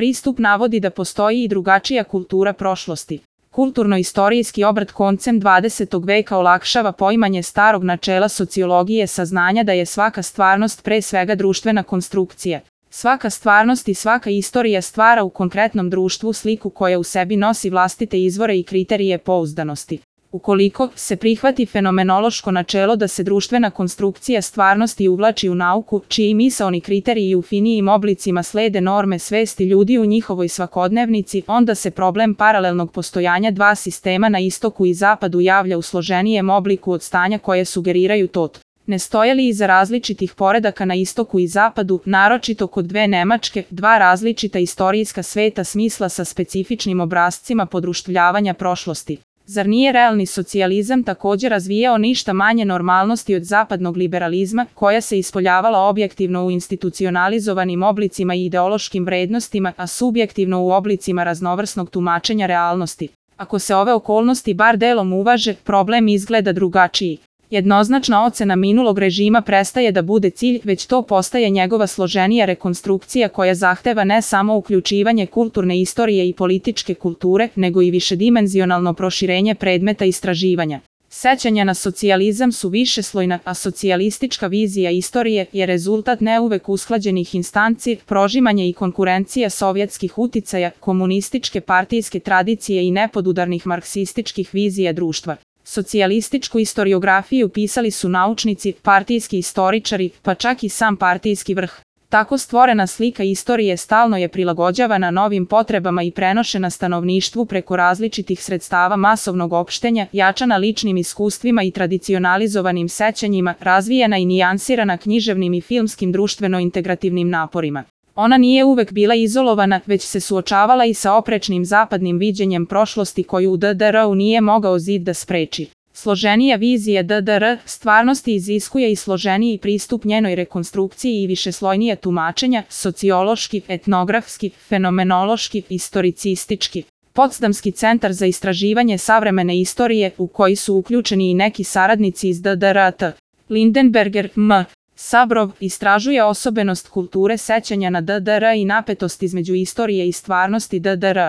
pristup navodi da postoji i drugačija kultura prošlosti. Kulturno-istorijski obrt koncem 20. veka olakšava poimanje starog načela sociologije saznanja da je svaka stvarnost pre svega društvena konstrukcija. Svaka stvarnost i svaka istorija stvara u konkretnom društvu sliku koja u sebi nosi vlastite izvore i kriterije pouzdanosti. Ukoliko se prihvati fenomenološko načelo da se društvena konstrukcija stvarnosti uvlači u nauku, čiji misaoni kriteriji u finijim oblicima slede norme svesti ljudi u njihovoj svakodnevnici, onda se problem paralelnog postojanja dva sistema na istoku i zapadu javlja u složenijem obliku od stanja koje sugeriraju tot. Ne stoje li iza različitih poredaka na istoku i zapadu, naročito kod dve Nemačke, dva različita istorijska sveta smisla sa specifičnim obrascima podruštvljavanja prošlosti? Zar nije realni socijalizam također razvijao ništa manje normalnosti od zapadnog liberalizma, koja se ispoljavala objektivno u institucionalizovanim oblicima i ideološkim vrednostima, a subjektivno u oblicima raznovrsnog tumačenja realnosti? Ako se ove okolnosti bar delom uvaže, problem izgleda drugačiji. Jednoznačna ocena minulog režima prestaje da bude cilj, već to postaje njegova složenija rekonstrukcija koja zahteva ne samo uključivanje kulturne istorije i političke kulture, nego i višedimenzionalno proširenje predmeta istraživanja. Sećanja na socijalizam su višeslojna, a socijalistička vizija istorije je rezultat neuvek usklađenih instanci, prožimanja i konkurencija sovjetskih uticaja, komunističke partijske tradicije i nepodudarnih marksističkih vizija društva. Socijalističku istoriografiju pisali su naučnici, partijski istoričari, pa čak i sam partijski vrh. Tako stvorena slika istorije stalno je prilagođavana novim potrebama i prenošena stanovništvu preko različitih sredstava masovnog opštenja, jačana ličnim iskustvima i tradicionalizovanim sećanjima, razvijena i nijansirana književnim i filmskim društveno-integrativnim naporima. Ona nije uvek bila izolovana, već se suočavala i sa oprečnim zapadnim viđenjem prošlosti koju u DDR-u nije mogao zid da spreči. Složenija vizija DDR stvarnosti iziskuje i složeniji pristup njenoj rekonstrukciji i višeslojnije tumačenja, sociološki, etnografski, fenomenološki, istoricistički. Potsdamski centar za istraživanje savremene istorije, u koji su uključeni i neki saradnici iz DDR-a, Lindenberger, M. Sabrov, istražuje osobenost kulture sećanja na DDR i napetost između istorije i stvarnosti DDR.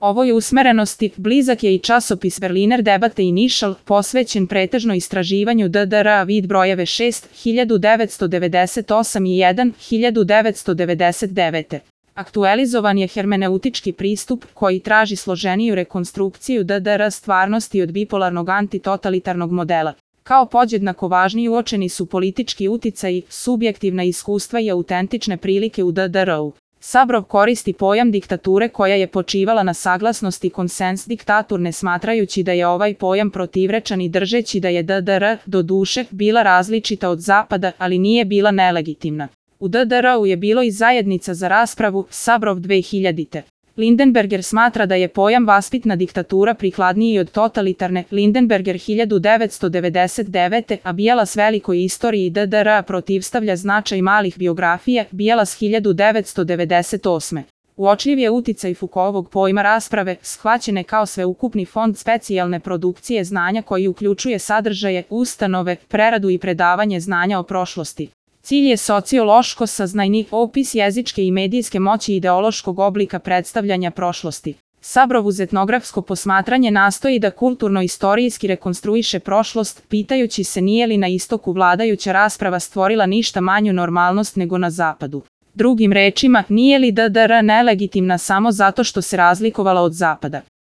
Ovoj usmerenosti blizak je i časopis Berliner Debatte Initial, posvećen pretežno istraživanju DDR, vid brojeve 6, 1998 i 1, 1999. Aktualizovan je hermeneutički pristup koji traži složeniju rekonstrukciju DDR stvarnosti od bipolarnog antitotalitarnog modela. Kao podjednako važni uočeni su politički uticaji, subjektivna iskustva i autentične prilike u DDR-u. Sabrov koristi pojam diktature koja je počivala na saglasnosti konsens diktatur ne smatrajući da je ovaj pojam protivrečan i držeći da je DDR, doduše, bila različita od Zapada, ali nije bila nelegitimna. U DDR-u je bilo i zajednica za raspravu, Sabrov 2000. Lindenberger smatra da je pojam vaspitna diktatura prikladniji od totalitarne, Lindenberger 1999. a Bielas velikoj istoriji DDR protivstavlja značaj malih biografija, Bielas 1998. Uočljiv je uticaj Foucaultovog pojma rasprave, shvaćene kao sveukupni fond specijalne produkcije znanja koji uključuje sadržaje, ustanove, preradu i predavanje znanja o prošlosti. Cilj je sociološko saznajni opis jezičke i medijske moći ideološkog oblika predstavljanja prošlosti. Sabrov uz etnografsko posmatranje nastoji da kulturno-istorijski rekonstruiše prošlost, pitajući se nije li na istoku vladajuća rasprava stvorila ništa manju normalnost nego na zapadu. Drugim rečima, nije li DDR nelegitimna samo zato što se razlikovala od zapada.